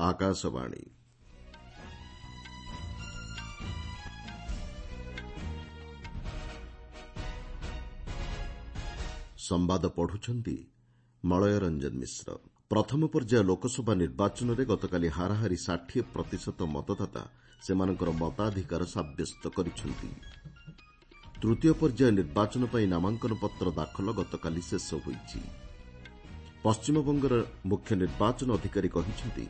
ଆକାଶବାଣୀ। ସମ୍ବାଦ ପଢୁଛନ୍ତି ମଳୟ ରଞ୍ଜନ ମିଶ୍ର। ପ୍ରଥମ ପର୍ଯ୍ୟାୟ ଲୋକସଭା ନିର୍ବାଚନରେ ଗତକାଲି ହାରାହାରି 60 ପ୍ରତିଶତ ମତଦାତା ସେମାନଙ୍କର ମତାଧିକାର ସାବ୍ୟସ୍ତ କରିଛନ୍ତି। ତୃତୀୟ ପର୍ଯ୍ୟାୟ ନିର୍ବାଚନ ପାଇଁ ନାମାଙ୍କନ ପତ୍ର ଦାଖଲ ଗତକାଲି ଶେଷ ହୋଇଛି। ପଶ୍ଚିମବଙ୍ଗର ମୁଖ୍ୟ ନିର୍ବାଚନ ଅଧିକାରୀ କହିଛନ୍ତି,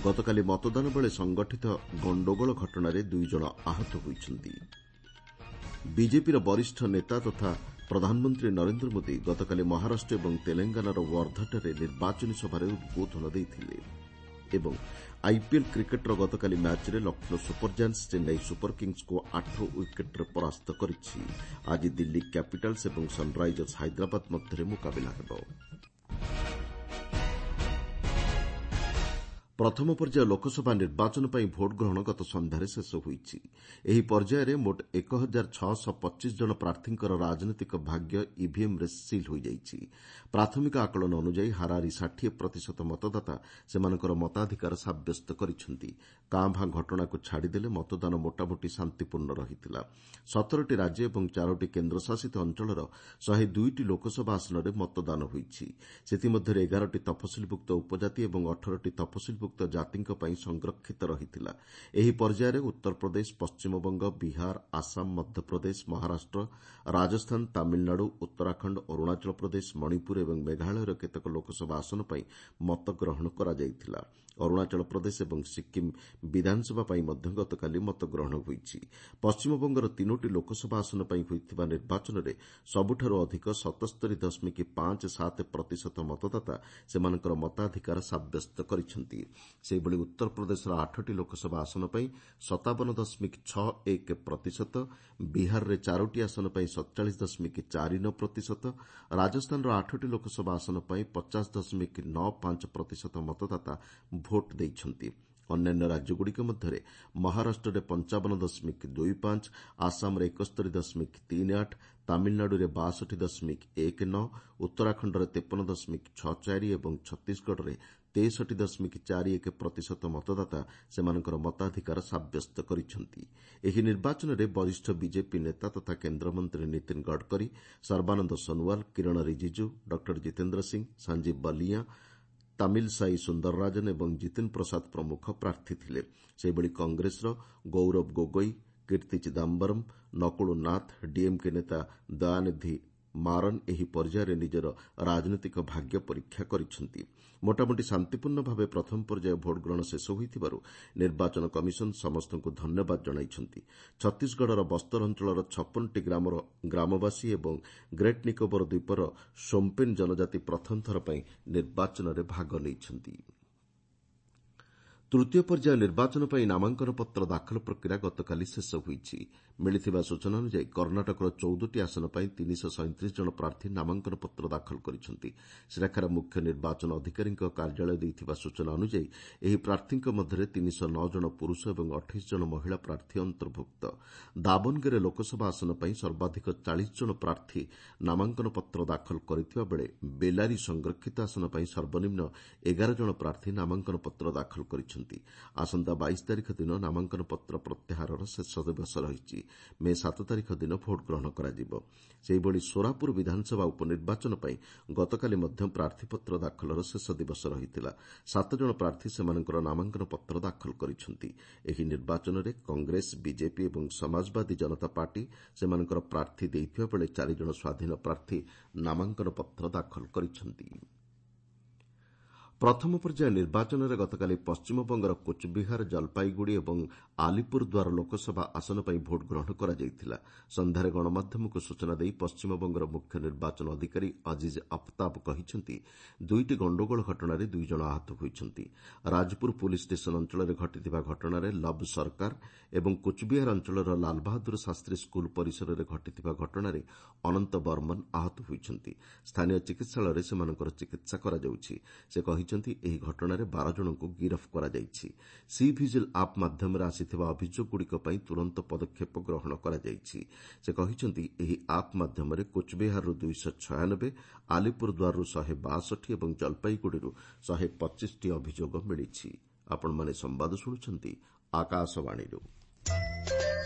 ଗତକାଲି ମତଦାନ ବେଳେ ସଂଗଠିତ ଗଣ୍ଡଗୋଳ ଘଟଣାରେ ଦୁଇଜଣ ଆହତ ହୋଇଛନ୍ତି। ବିଜେପିର ବରିଷ୍ଠ ନେତା ତଥା ପ୍ରଧାନମନ୍ତ୍ରୀ ନରେନ୍ଦ୍ର ମୋଦି ଗତକାଲି ମହାରାଷ୍ଟ୍ର ଏବଂ ତେଲେଙ୍ଗାନାର ୱାର୍ଦ୍ଧାଠାରେ ନିର୍ବାଚନୀ ସଭାରେ ଉଦ୍ବୋଧନ ଦେଇଥିଲେ। ଏବଂ ଆଇପିଏଲ୍ କ୍ରିକେଟ୍ର ଗତକାଲି ମ୍ୟାଚ୍ରେ Lucknow super giants Chennai super କିଙ୍ଗ୍ସକୁ 8 ୱିକେଟ୍ରେ ପରାସ୍ତ କରିଛି। ଆଜି ଦିଲ୍ଲୀ କ୍ୟାପିଟାଲ୍ସ ଏବଂ ସନ୍ରାଇଜର୍ସ ହାଇଦ୍ରାବାଦ ମଧ୍ୟରେ ମୁକାବିଲା ହେବ। ପ୍ରଥମ ପର୍ଯ୍ୟାୟ ଲୋକସଭା ନିର୍ବାଚନ ପାଇଁ ଭୋଟ୍ଗ୍ରହଣ ଗତ ସନ୍ଧ୍ୟାରେ ଶେଷ ହୋଇଛି। ଏହି ପର୍ଯ୍ୟାୟରେ ମୋଟ 1625 ଜଣ ପ୍ରାର୍ଥୀଙ୍କର ରାଜନୈତିକ ଭାଗ୍ୟ ଇଭିଏମ୍ରେ ସିଲ୍ ହୋଇଯାଇଛି। ପ୍ରାଥମିକ ଆକଳନ ଅନୁଯାୟୀ ହାରାହାରି 60 ପ୍ରତିଶତ ମତଦାତା ସେମାନଙ୍କର ମତାଧିକାର ସାବ୍ୟସ୍ତ କରିଛନ୍ତି। କାଁ ଭାଁ ଘଟଣାକୁ ଛାଡ଼ିଦେଲେ ମତଦାନ ମୋଟାମୋଟି ଶାନ୍ତିପୂର୍ଣ୍ଣ ରହିଥିଲା। 17ଟି ରାଜ୍ୟ ଏବଂ ଚାରୋଟି କେନ୍ଦ୍ରଶାସିତ ଅଞ୍ଚଳର 102ଟି ଲୋକସଭା ଆସନରେ ମତଦାନ ହୋଇଛି। ସେଥିମଧ୍ୟରେ 11ଟି ତଫସିଲଭୁକ୍ତ ଉପଜାତି ଏବଂ 18ଟି ତଫସିଲଭୁକ୍ତ ଜାତିଙ୍କ ପାଇଁ ସଂରକ୍ଷିତ ରହିଥିଲା। ଏହି ପର୍ଯ୍ୟାୟରେ ଉତ୍ତରପ୍ରଦେଶ, ପଶ୍ଚିମବଙ୍ଗ, ବିହାର, ଆସାମ, ମଧ୍ୟପ୍ରଦେଶ, ମହାରାଷ୍ଟ୍ର, ରାଜସ୍ଥାନ, ତାମିଲନାଡୁ, ଉତ୍ତରାଖଣ୍ଡ, ଅରୁଣାଚଳ ପ୍ରଦେଶ, ମଣିପୁର ଏବଂ ମେଘାଳୟର କେତେକ ଲୋକସଭା ଆସନ ପାଇଁ ମତଗ୍ରହଣ କରାଯାଇଥିଲା। ଅରୁଣାଚଳ ପ୍ରଦେଶ ଏବଂ ସିକ୍କିମ୍ ବିଧାନସଭା ପାଇଁ ମଧ୍ୟ ଗତକାଲି ମତଗ୍ରହଣ ହୋଇଛି। ପଶ୍ଚିମବଙ୍ଗର ତିନୋଟି ଲୋକସଭା ଆସନ ପାଇଁ ହୋଇଥିବା ନିର୍ବାଚନରେ ସବୁଠାରୁ ଅଧିକ 77.57 ପ୍ରତିଶତ ମତଦାତା ସେମାନଙ୍କର ମତାଧିକାର ସାବ୍ୟସ୍ତ କରିଛନ୍ତି। ସେହିଭଳି ଉତ୍ତରପ୍ରଦେଶର 8ଟି ଲୋକସଭା ଆସନ ପାଇଁ 57.61 ପ୍ରତିଶତ, ବିହାରରେ ଚାରୋଟି ଆସନ ପାଇଁ 47.49 ପ୍ରତିଶତ, ରାଜସ୍ଥାନର 8ଟି ଲୋକସଭା ଆସନ ପାଇଁ 50.95 ପ୍ରତିଶତ ମତଦାତା ଭୋଟ୍ ଦେଇଛନ୍ତି। ଅନ୍ୟାନ୍ୟ ରାଜ୍ୟଗୁଡ଼ିକ ମଧ୍ୟରେ ମହାରାଷ୍ଟ୍ରରେ 55.25, ଆସାମରେ 71.38, ତାମିଲନାଡୁରେ 62.19, ଉତ୍ତରାଖଣ୍ଡରେ 53.64 ଏବଂ ଛତିଶଗଡ଼ରେ 63.41 ପ୍ରତିଶତ ମତଦାତା ସେମାନଙ୍କର ମତାଧିକାର ସାବ୍ୟସ୍ତ କରିଛନ୍ତି। ଏହି ନିର୍ବାଚନରେ ବରିଷ୍ଠ ବିଜେପି ନେତା ତଥା କେନ୍ଦ୍ରମନ୍ତ୍ରୀ ନୀତିନ ଗଡ଼କରୀ, ସର୍ବାନନ୍ଦ ସୋନୱାଲ, କିରଣ ରିଜିଜୁ, ଡକ୍ଟର ଜିତେନ୍ଦ୍ର ସିଂ, ସଞ୍ଜୀବ ବଲିଆଁ, ତାମିଲସାଇ ସୁନ୍ଦରରାଜନ ଏବଂ ଜିତିନ ପ୍ରସାଦ ପ୍ରମୁଖ ପ୍ରାର୍ଥୀ ଥିଲେ। ସେହିଭଳି କଂଗ୍ରେସର ଗୌରବ ଗୋଗୋଇ, କୀର୍ତ୍ତି ଚିଦାମ୍ବରମ୍, ନକୁଳ ନାଥ, ଡିଏମ୍କେ ନେତା ଦୟାନିଧି ମାରନ୍ ଏହି ପର୍ଯ୍ୟାୟରେ ନିଜର ରାଜନୈତିକ ଭାଗ୍ୟ ପରୀକ୍ଷା କରିଛନ୍ତି। ମୋଟାମୋଟି ଶାନ୍ତିପୂର୍ଣ୍ଣ ଭାବେ ପ୍ରଥମ ପର୍ଯ୍ୟାୟ ଭୋଟ୍ଗ୍ରହଣ ଶେଷ ହୋଇଥିବାରୁ ନିର୍ବାଚନ କମିଶନ ସମସ୍ତଙ୍କୁ ଧନ୍ୟବାଦ ଜଣାଇଛନ୍ତି। ଛତିଶଗଡ଼ର ବସ୍ତର ଅଞ୍ଚଳର 56ଟି ଗ୍ରାମର ଗ୍ରାମବାସୀ ଏବଂ ଗ୍ରେଟ୍ ନିକୋବର ଦ୍ୱୀପର ସୋମ୍ପେନ୍ ଜନଜାତି ପ୍ରଥମ ଥର ପାଇଁ ନିର୍ବାଚନରେ ଭାଗ ନେଇଛନ୍ତି। ତୃତୀୟ ପର୍ଯ୍ୟାୟ ନିର୍ବାଚନ ପାଇଁ ନାମାଙ୍କନ ପତ୍ର ଦାଖଲ ପ୍ରକ୍ରିୟା ଗତକାଲି ଶେଷ ହୋଇଛି। ମିଳିଥିବା ସୂଚନା ଅନୁଯାୟୀ କର୍ଣ୍ଣାଟକର 14ଟି ଆସନ ପାଇଁ 337 ଜଣ ପ୍ରାର୍ଥୀ ନାମାଙ୍କନ ପତ୍ର ଦାଖଲ କରିଛନ୍ତି। ସେଠାକାର ମୁଖ୍ୟ ନିର୍ବାଚନ ଅଧିକାରୀଙ୍କ କାର୍ଯ୍ୟାଳୟ ଦେଇଥିବା ସୂଚନା ଅନୁଯାୟୀ ଏହି ପ୍ରାର୍ଥୀଙ୍କ ମଧ୍ୟରେ 309 ଜଣ ପୁରୁଷ ଏବଂ 28 ଜଣ ମହିଳା ପ୍ରାର୍ଥୀ ଅନ୍ତର୍ଭୁକ୍ତ। ଦାବନଗେରେ ଲୋକସଭା ଆସନ ପାଇଁ ସର୍ବାଧିକ 40 ଜଣ ପ୍ରାର୍ଥୀ ନାମାଙ୍କନ ପତ୍ର ଦାଖଲ କରିଥିବା ବେଳେ ବେଲାରୀ ସଂରକ୍ଷିତ ଆସନ ପାଇଁ ସର୍ବନିମ୍ନ 11 ଜଣ ପ୍ରାର୍ଥୀ ନାମାଙ୍କନ ପତ୍ର ଦାଖଲ କରିଛନ୍ତି। ଆସନ୍ତା 22 ତାରିଖ ଦିନ ନାମାଙ୍କନ ପତ୍ର ପ୍ରତ୍ୟାହାରର ଶେଷ ଦିବସ ରହିଛି। ମେ 7 ତାରିଖ ଦିନ ଭୋଟ୍ଗ୍ରହଣ କରାଯିବ। ସେହିଭଳି ସୋରାପୁର ବିଧାନସଭା ଉପନିର୍ବାଚନ ପାଇଁ ଗତକାଲି ମଧ୍ୟ ପ୍ରାର୍ଥୀପତ୍ର ଦାଖଲର ଶେଷ ଦିବସ ରହିଥିଲା। 7 ଜଣ ପ୍ରାର୍ଥୀ ସେମାନଙ୍କର ନାମାଙ୍କନ ପତ୍ର ଦାଖଲ କରିଛନ୍ତି। ଏହି ନିର୍ବାଚନରେ କଂଗ୍ରେସ, ବିଜେପି ଏବଂ ସମାଜବାଦୀ ଜନତା ପାର୍ଟି ସେମାନଙ୍କର ପ୍ରାର୍ଥୀ ଦେଇଥିବା ବେଳେ ଚାରିଜଣ ସ୍ୱାଧୀନ ପ୍ରାର୍ଥୀ ନାମାଙ୍କନ ପତ୍ର ଦାଖଲ କରିଛନ୍ତି। ପ୍ରଥମ ପର୍ଯ୍ୟାୟ ନିର୍ବାଚନରେ ଗତକାଲି ପଶ୍ଚିମବଙ୍ଗର କୋଚବିହାର, ଜଲପାଇଗୁଡ଼ି ଏବଂ ଆଲିପୁରଦ୍ୱାର ଲୋକସଭା ଆସନ ପାଇଁ ଭୋଟ୍ଗ୍ରହଣ କରାଯାଇଥିଲା। ସନ୍ଧ୍ୟାରେ ଗଣମାଧ୍ୟମକୁ ସୂଚନା ଦେଇ ପଶ୍ଚିମବଙ୍ଗର ମୁଖ୍ୟ ନିର୍ବାଚନ ଅଧିକାରୀ ଅଜିଜ୍ ଅଫତାବ କହିଛନ୍ତି, ଦୁଇଟି ଗଣ୍ଡଗୋଳ ଘଟଣାରେ ଦୁଇଜଣ ଆହତ ହୋଇଛନ୍ତି। ରାଜପୁର ପୁଲିସ୍ ଷ୍ଟେସନ ଅଞ୍ଚଳରେ ଘଟିଥିବା ଘଟଣାରେ ଲବ୍ ସରକାର ଏବଂ କୋଚବିହାର ଅଞ୍ଚଳର ଲାଲବାହାଦୁର ଶାସ୍ତ୍ରୀ ସ୍କୁଲ ପରିସରରେ ଘଟିଥିବା ଘଟଣାରେ ଅନନ୍ତ ବର୍ମନ ଆହତ ହୋଇଛନ୍ତି। ସ୍ଥାନୀୟ ଚିକିତ୍ସାଳୟରେ ସେମାନଙ୍କର ଚିକିତ୍ସା କରାଯାଉଛି। ସେ କହିଛନ୍ତି, ଏହି ଘଟଣାରେ 12 ଜଣଙ୍କୁ ଗିରଫ କରାଯାଇଛି। ସି ଭିଜିଲ୍ ଆପ୍ ମାଧ୍ୟମରେ ଆସିଥିବା ଅଭିଯୋଗଗୁଡ଼ିକ ପାଇଁ ତୁରନ୍ତ ପଦକ୍ଷେପ ଗ୍ରହଣ କରାଯାଇଛି। ସେ କହିଛନ୍ତି, ଏହି ଆପ୍ ମାଧ୍ୟମରେ କୋଚବିହାରରୁ 296, ଆଲିପୁରଦ୍ୱାରରୁ 162 ଏବଂ ଜଲପାଇଗୁଡ଼ିରୁ 125ଟି ଅଭିଯୋଗ ମିଳିଛି। ଆପଣମାନେ ସମ୍ବାଦ ଶୁଣୁଛନ୍ତି ଆକାଶବାଣୀରୁ।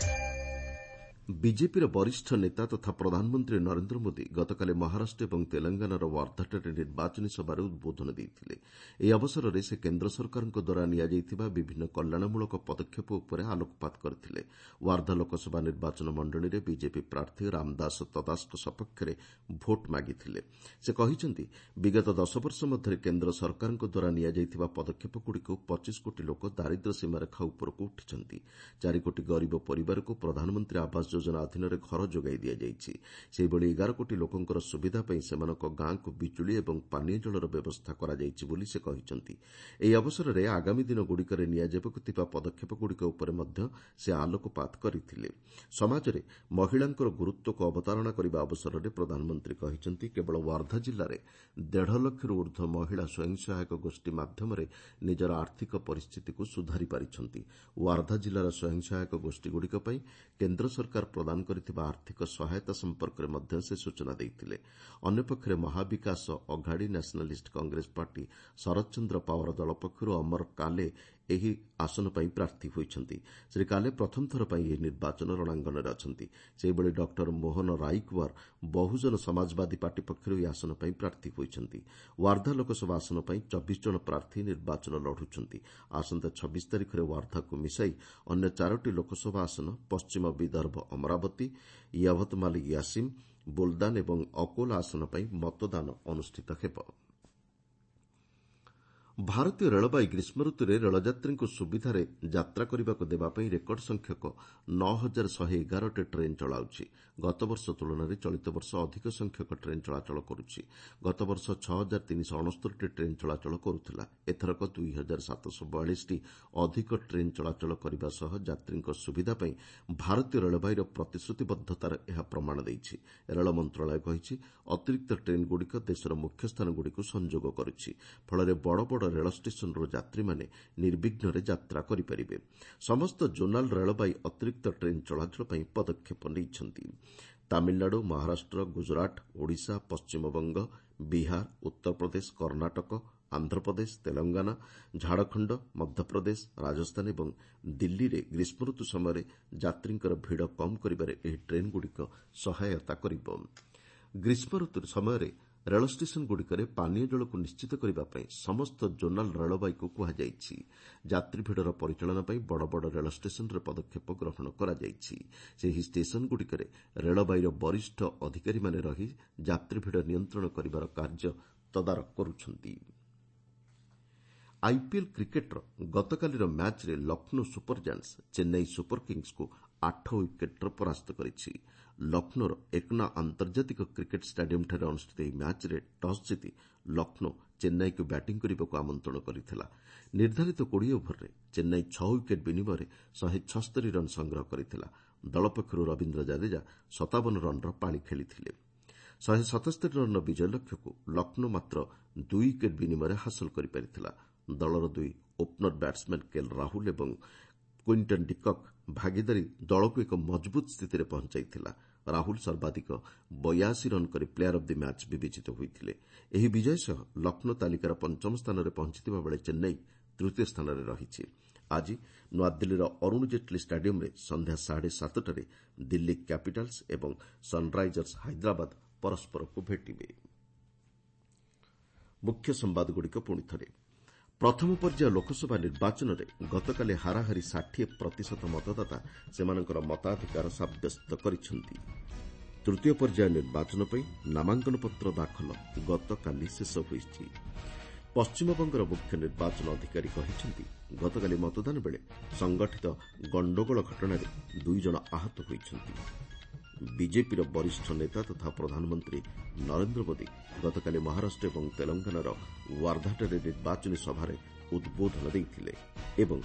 ବିଜେପିର ବରିଷ୍ଠ ନେତା ତଥା ପ୍ରଧାନମନ୍ତ୍ରୀ ନରେନ୍ଦ୍ର ମୋଦି ଗତକାଲି ମହାରାଷ୍ଟ୍ର ଏବଂ ତେଲଙ୍ଗାନାର ୱାର୍ଦ୍ଧାଠାରେ ନିର୍ବାଚନୀ ସଭାରେ ଉଦ୍ବୋଧନ ଦେଇଥିଲେ। ଏହି ଅବସରରେ ସେ କେନ୍ଦ୍ର ସରକାରଙ୍କ ଦ୍ୱାରା ନିଆଯାଇଥିବା ବିଭିନ୍ନ କଲ୍ୟାଣମୂଳକ ପଦକ୍ଷେପ ଉପରେ ଆଲୋକପାତ କରିଥିଲେ। ୱାର୍ଦ୍ଧା ଲୋକସଭା ନିର୍ବାଚନ ମଣ୍ଡଳୀରେ ବିଜେପି ପ୍ରାର୍ଥୀ ରାମଦାସ ତଦାସଙ୍କ ସପକ୍ଷରେ ଭୋଟ୍ ମାଗିଥିଲେ। ସେ କହିଛନ୍ତି, ବିଗତ 10 ବର୍ଷ ମଧ୍ୟରେ କେନ୍ଦ୍ର ସରକାରଙ୍କ ଦ୍ୱାରା ନିଆଯାଇଥିବା ପଦକ୍ଷେପଗୁଡ଼ିକୁ 25 କୋଟି ଲୋକ ଦାରିଦ୍ର୍ୟ ସୀମାରେଖା ଉପରକୁ ଉଠିଛନ୍ତି। 4 କୋଟି ଗରିବ ପରିବାରକୁ ପ୍ରଧାନମନ୍ତ୍ରୀ ଆବାସ ଯୋଜନା ଅଧୀନରେ ଘର ଯୋଗାଇ ଦିଆଯାଇଛି। ସେହିଭଳି 11 କୋଟି ଲୋକଙ୍କର ସୁବିଧା ପାଇଁ ସେମାନଙ୍କ ଗାଁକୁ ବିଜୁଳି ଏବଂ ପାନୀୟ ଜଳର ବ୍ୟବସ୍ଥା କରାଯାଇଛି ବୋଲି ସେ କହିଛନ୍ତି। ଏହି ଅବସରରେ ଆଗାମୀ ଦିନଗୁଡ଼ିକରେ ନିଆଯିବାକୁ ଥିବା ପଦକ୍ଷେପଗୁଡ଼ିକ ଉପରେ ମଧ୍ୟ ସେ ଆଲୋକପାତ କରିଥିଲେ। ସମାଜରେ ମହିଳାଙ୍କର ଗୁରୁତ୍ୱକୁ ଅବତାରଣା କରିବା ଅବସରରେ ପ୍ରଧାନମନ୍ତ୍ରୀ କହିଛନ୍ତି, କେବଳ ୱାର୍ଦ୍ଧା ଜିଲ୍ଲାରେ 1.5 ଲକ୍ଷରୁ ଉର୍ଦ୍ଧ୍ୱ ମହିଳା ସ୍ୱୟଂ ସହାୟକ ଗୋଷ୍ଠୀ ମାଧ୍ୟମରେ ନିଜର ଆର୍ଥିକ ପରିସ୍ଥିତିକୁ ସୁଧାରି ପାରିଛନ୍ତି। ୱାର୍ଦ୍ଧା ଜିଲ୍ଲାର ସ୍ୱୟଂ ସହାୟକ ଗୋଷ୍ଠୀଗୁଡ଼ିକ ପାଇଁ କେନ୍ଦ୍ର ସରକାର ପ୍ରଦାନ କରିଥିବା ଆର୍ଥିକ ସହାୟତା ସମ୍ପର୍କରେ ମଧ୍ୟ ସେ ସୂଚନା ଦେଇଥିଲେ। ଅନ୍ୟପକ୍ଷରେ ମହାବିକାଶ ଅଘାଡ଼ି ନ୍ୟାସନାଲିଷ୍ଟ କଂଗ୍ରେସ ପାର୍ଟି ଶରତ ଚନ୍ଦ୍ର ପାୱାର ଦଳ ପକ୍ଷରୁ ଅମର କାଲେ ଏହି ଆସନ ପାଇଁ ପ୍ରାର୍ଥୀ ହୋଇଛନ୍ତି। ଶ୍ରୀ କାଲେ ପ୍ରଥମ ଥର ପାଇଁ ଏହି ନିର୍ବାଚନ ରଣାଙ୍ଗନରେ ଅଛନ୍ତି। ସେହିଭଳି ଡକ୍ଟର ମୋହନ ରାଇକୱାର ବହୁଜନ ସମାଜବାଦୀ ପାର୍ଟି ପକ୍ଷରୁ ଏହି ଆସନ ପାଇଁ ପ୍ରାର୍ଥୀ ହୋଇଛନ୍ତି। ୱାର୍ଦ୍ଧା ଲୋକସଭା ଆସନ ପାଇଁ 24 ଜଣ ପ୍ରାର୍ଥୀ ନିର୍ବାଚନ ଲଢୁଛନ୍ତି। ଆସନ୍ତା 26 ତାରିଖରେ ୱାର୍ଦ୍ଧାକୁ ମିଶାଇ ଅନ୍ୟ 4ଟି ଲୋକସଭା ଆସନ ପଶ୍ଚିମ ବିଦର୍ଭ ଅମରାବତୀ, ୟଭତମାଲ ୟାସିମ୍, ବୁଲଦାନ ଏବଂ ଅକୋଲା ଆସନ ପାଇଁ ମତଦାନ ଅନୁଷ୍ଠିତ ହେବ। ଭାରତୀୟ ରେଳବାଇ ଗ୍ରୀଷ୍ମ ଋତୁରେ ରେଳଯାତ୍ରୀଙ୍କୁ ସୁବିଧାରେ ଯାତ୍ରା କରିବାକୁ ଦେବା ପାଇଁ ରେକର୍ଡ ସଂଖ୍ୟକ 9111ଟି ଟ୍ରେନ୍ ଚଳାଉଛି। ଗତବର୍ଷ ତୁଳନାରେ ଚଳିତ ବର୍ଷ ଅଧିକ ସଂଖ୍ୟକ ଟ୍ରେନ୍ ଚଳାଚଳ କରୁଛି। ଗତବର୍ଷ 6369ଟି ଟ୍ରେନ୍ ଚଳାଚଳ କରୁଥିଲା। ଏଥରକ 2742ଟି ଅଧିକ ଟ୍ରେନ୍ ଚଳାଚଳ କରିବା ସହ ଯାତ୍ରୀଙ୍କ ସୁବିଧା ପାଇଁ ଭାରତୀୟ ରେଳବାଇର ପ୍ରତିଶ୍ରୁତିବଦ୍ଧତାର ଏହା ପ୍ରମାଣ ଦେଇଛି। ରେଳ ମନ୍ତ୍ରଣାଳୟ କହିଛି, ଅତିରିକ୍ତ ଟ୍ରେନ୍ଗୁଡ଼ିକ ଦେଶର ମୁଖ୍ୟ ସ୍ଥାନଗୁଡ଼ିକୁ ସଂଯୋଗ କରୁଛି। ଫଳରେ ବଡ଼ ବଡ଼ ରେଳ ଷ୍ଟେସନରୁ ଯାତ୍ରୀମାନେ ନିର୍ବିଘ୍ନରେ ଯାତ୍ରା କରିପାରିବେ। ସମସ୍ତ ଜୋନାଲ ରେଳବାଇ ଅତିରିକ୍ତ ଟ୍ରେନ୍ ଚଳାଚଳ ପାଇଁ ପଦକ୍ଷେପ ନେଇଛନ୍ତି। ତାମିଲନାଡୁ, ମହାରାଷ୍ଟ୍ର, ଗୁଜରାଟ, ଓଡ଼ିଶା, ପଶ୍ଚିମବଙ୍ଗ, ବିହାର, ଉତ୍ତରପ୍ରଦେଶ, କର୍ଣ୍ଣାଟକ, ଆନ୍ଧ୍ରପ୍ରଦେଶ, ତେଲଙ୍ଗାନା, ଝାଡ଼ଖଣ୍ଡ, ମଧ୍ୟପ୍ରଦେଶ, ରାଜସ୍ଥାନ ଏବଂ ଦିଲ୍ଲୀରେ ଗ୍ରୀଷ୍ମ ଋତୁ ସମୟରେ ଯାତ୍ରୀଙ୍କର ଭିଡ଼ କମ୍ କରିବାରେ ଏହି ଟ୍ରେନ୍ଗୁଡ଼ିକ ସହାୟତା କରିବ। ଗ୍ରୀଷ୍ମ ଋତୁ ସମୟରେ ରେଳ ଷ୍ଟେସନଗୁଡ଼ିକରେ ପାନୀୟ ଜଳକୁ ନିଶ୍ଚିତ କରିବା ପାଇଁ ସମସ୍ତ ଜୋନାଲ ରେଳବାଇକୁ କୁହାଯାଇଛି। ଯାତ୍ରୀ ଭିଡ଼ର ପରିଚାଳନା ପାଇଁ ବଡ଼ ବଡ଼ ରେଳ ଷ୍ଟେସନରେ ପଦକ୍ଷେପ ଗ୍ରହଣ କରାଯାଇଛି। ସେହି ଷ୍ଟେସନଗୁଡ଼ିକରେ ରେଳବାଇର ବରିଷ୍ଠ ଅଧିକାରୀମାନେ ରହି ଯାତ୍ରୀ ଭିଡ଼ ନିୟନ୍ତ୍ରଣ କରିବାର କାର୍ଯ୍ୟ ତଦାରଖ କରୁଛନ୍ତି। ଆଇପିଏଲ୍ କ୍ରିକେଟ୍ର ଗତକାଲିର ମ୍ୟାଚ୍ରେ Lucknow super Giants Chennai super କିଙ୍ଗସ୍କୁ 8 ୱିକେଟ୍ରେ ପରାସ୍ତ କରିଛି। ଲକ୍ଷ୍ନୌର ଏକନା ଆନ୍ତର୍ଜାତିକ କ୍ରିକେଟ୍ ଷ୍ଟାଡିୟମ୍ଠାରେ ଅନୁଷ୍ଠିତ ଏହି ମ୍ୟାଚ୍ରେ ଟସ୍ ଜିତି ଲକ୍ଷ୍ନୌ ଚେନ୍ନାଇକୁ ବ୍ୟାଟିଂ କରିବାକୁ ଆମନ୍ତ୍ରଣ କରିଥିଲା। ନିର୍ଦ୍ଧାରିତ 20 ଓଭରରେ ଚେନ୍ନାଇ 6 ୱିକେଟ୍ ବିନିମୟରେ 176 ରନ୍ ସଂଗ୍ରହ କରିଥିଲା। ଦଳ ପକ୍ଷରୁ ରବୀନ୍ଦ୍ର ଜାଡେଜା 57 ରନ୍ର ପାଳି ଖେଳିଥିଲେ। 177 ରନ୍ର ବିଜୟ ଲକ୍ଷ୍ୟକୁ ଲକ୍ଷ୍ନୌ ମାତ୍ର 2 ୱିକେଟ୍ ବିନିମୟରେ ହାସଲ କରିପାରିଥିଲା। ଦଳର 2 ଓପନର ବ୍ୟାଟ୍ସମ୍ୟାନ୍ କେଏଲ୍ ରାହୁଲ ଏବଂ କ୍ୱିଣ୍ଟନ୍ ଡିକକ୍ ଭାଗିଦାରୀ ଦଳକୁ ଏକ ମଜବୁତ ସ୍ଥିତିରେ ପହଞ୍ଚାଇଥିଲା। ରାହୁଲ ସର୍ବାଧିକ 82 ରନ୍ କରି ପ୍ଲେୟାର ଅଫ୍ the match ବିବେଚିତ ହୋଇଥିଲେ। ଏହି ବିଜୟ ସହ ଲକ୍ଷ୍ନୌ ତାଲିକାର ପଞ୍ଚମ ସ୍ଥାନରେ ପହଞ୍ଚିଥିବା ବେଳେ ଚେନ୍ନାଇ ତୃତୀୟ ସ୍ଥାନରେ ରହିଛି। ଆଜି ନୂଆଦିଲ୍ଲୀର ଅରୁଣ ଜେଟ୍ଲୀ ଷ୍ଟାଡିୟମ୍ରେ ସନ୍ଧ୍ୟା 7:30ରେ ଦିଲ୍ଲୀ କ୍ୟାପିଟାଲ୍ସ ଏବଂ ସନ୍ରାଇଜର୍ସ ହାଇଦ୍ରାବାଦ ପରସ୍ପରକୁ ଭେଟିବେ। ମୁଖ୍ୟ ସମ୍ବାଦଗୁଡ଼ିକ ପୁଣି ଥରେ। ପ୍ରଥମ ପର୍ଯ୍ୟାୟ ଲୋକସଭା ନିର୍ବାଚନରେ ଗତକାଲି ହାରାହାରି 60% ମତଦାତା ସେମାନଙ୍କର ମତାଧିକାର ସାବ୍ୟସ୍ତ କରିଛନ୍ତି। ତୃତୀୟ ପର୍ଯ୍ୟାୟ ନିର୍ବାଚନ ପାଇଁ ନାମାଙ୍କନପତ୍ର ଦାଖଲ ଗତକାଲି ଶେଷ ହୋଇଛି। ପଶ୍ଚିମବଙ୍ଗର ମୁଖ୍ୟ ନିର୍ବାଚନ ଅଧିକାରୀ କହିଛନ୍ତି, ଗତକାଲି ମତଦାନ ବେଳେ ସଂଗଠିତ ଗଣ୍ଡଗୋଳ ଘଟଣାରେ 2 ଜଣ ଆହତ ହୋଇଛନ୍ତି। ବିଜେପିର ବରିଷ୍ଠ ନେତା ତଥା ପ୍ରଧାନମନ୍ତ୍ରୀ ନରେନ୍ଦ୍ର ମୋଦି ଗତକାଲି ମହାରାଷ୍ଟ୍ର ଏବଂ ତେଲଙ୍ଗାନାର ୱାର୍ଦ୍ଧାଠାରେ ନିର୍ବାଚନୀ ସଭାରେ ଉଦ୍ବୋଧନ ଦେଇଥିଲେ। ଏବଂ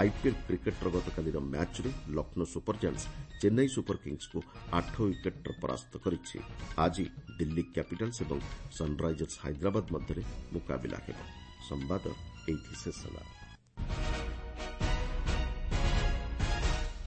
ଆଇପିଏଲ୍ କ୍ରିକେଟ୍ର ଗତକାଲିର ମ୍ୟାଚ୍ରେ Lucknow super Giants Chennai super କିଙ୍ଗସ୍କୁ 8 ୱିକେଟ୍ରେ ପରାସ୍ତ କରିଛି। ଆଜି ଦିଲ୍ଲୀ କ୍ୟାପିଟାଲ୍ସ ଏବଂ ସନ୍ରାଇଜର୍ସ ହାଇଦ୍ରାବାଦ ମଧ୍ୟରେ ମୁକାବିଲା ହେବ। ସମ୍ବାଦ ଏଇଠି ଶେଷ ହେଲା।